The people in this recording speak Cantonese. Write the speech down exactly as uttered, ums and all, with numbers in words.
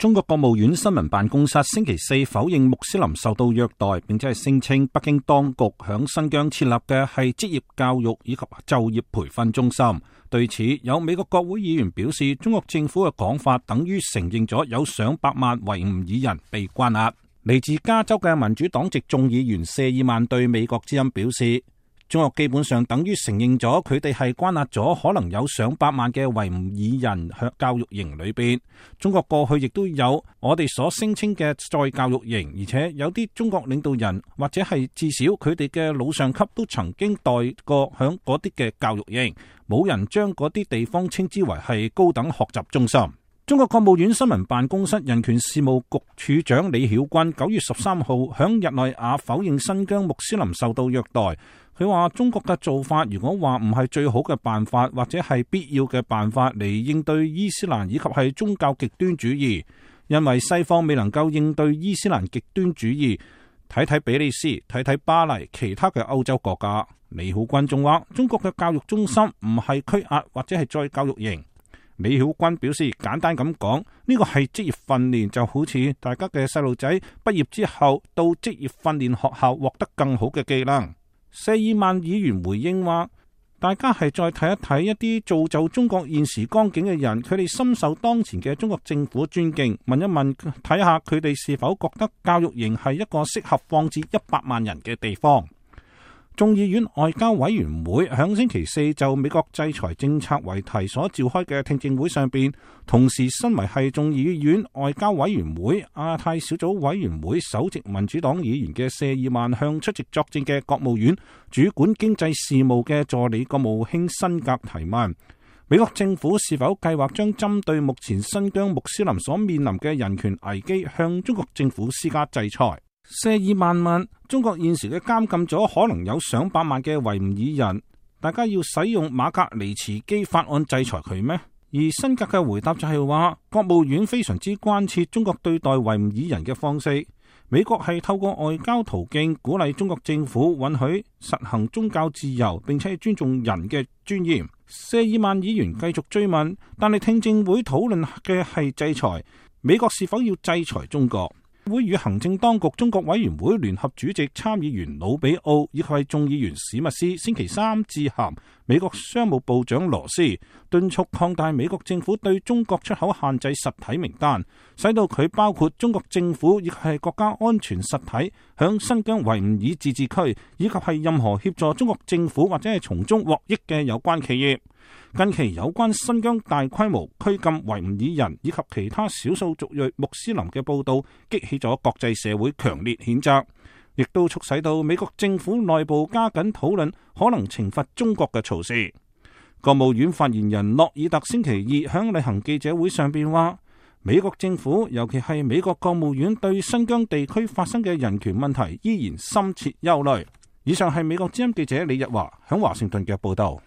中國國務院新聞辦公室星期四否認穆斯林受到虐待，並且係聲稱北京當局響新疆設立嘅係職業教育以及就業培訓中心。對此，有美國國會議員表示，中國政府嘅講法等於承認咗有上百萬維吾爾人被關押。嚟自加州嘅民主黨籍眾議員謝爾曼對美國之音表示，中國基本上等於承認咗佢哋係關押咗可能有上百萬嘅維吾爾人喺教育營裏邊。中國過去亦都有我哋所聲稱嘅再教育營，而且有啲中國領導人或者係至少佢哋嘅老上級都曾經待過響嗰啲嘅教育營，冇人將嗰啲地方稱之為係高等學習中心。中國國務院新聞辦公室人權事務局處長李曉軍九月十三號響日內瓦否認新疆穆斯林受到虐待。佢話中國嘅做法如果話唔係最好嘅辦法，或者係必要嘅辦法嚟應對伊斯蘭以及係宗教極端主義，因為西方未能夠應對伊斯蘭極端主義。睇睇比利時，睇睇巴黎，其他嘅歐洲國家。李曉軍仲話中國嘅教育中心唔係拘押或者係再教育營。李曉軍表示，簡單咁講，呢個係職業訓練，就好似大家嘅細路仔畢業之後到職業訓練學校獲得更好嘅技能。謝爾曼議員回應話，大家係再睇一睇一啲造就中國現時光景嘅人，佢哋深受當前嘅中國政府尊敬，問一問睇下佢哋是否覺得教育營係一個適合放置一百萬人嘅地方。眾議院外交委員會響星期四就美國制裁政策為題所召開嘅聽證會上邊，同時身為係眾議院外交委員會亞太小組委員會首席民主黨議員嘅謝爾曼向出席作證嘅國務院主管經濟事務嘅助理國務卿辛格提問，美國政府是否計劃將針對目前新疆穆斯林所面臨嘅人權危機向中國政府施加制裁。謝爾曼問，中國現時嘅監禁咗可能有上百萬嘅維吾爾人，大家要使用馬格尼茨基法案制裁佢咩？而辛格嘅回答就係話，國務院非常之關切中國對待維吾爾人嘅方式，美國係透過外交途徑鼓勵中國政府允許實行宗教自由，並且尊重人嘅尊嚴。謝爾曼議員繼續追問，但係聽證會討論嘅係制裁，美國是否要制裁中國？會與行政當局中國委員會聯合主席參議員魯比奧以及係眾議員史密斯星期三致函美國商務部長羅斯，敦促擴大美國政府對中國出口限制實體名單，使到佢包括中國政府亦係國家安全實體響新疆維吾爾自治區，以及係任何協助中國政府或者係從中獲益嘅有關企業。近期有關新疆大規模拘禁維吾爾人以及其他少數族裔穆斯林嘅報道，激起咗國際社會強烈譴責，亦都促使到美國政府內部加緊討論可能懲罰中國嘅措施。國務院發言人諾爾特星期二響例行記者會上邊話，美國政府尤其係美國國務院對新疆地區發生嘅人權問題依然深切憂慮。以上係美國之音記者李日華響華盛頓嘅報道。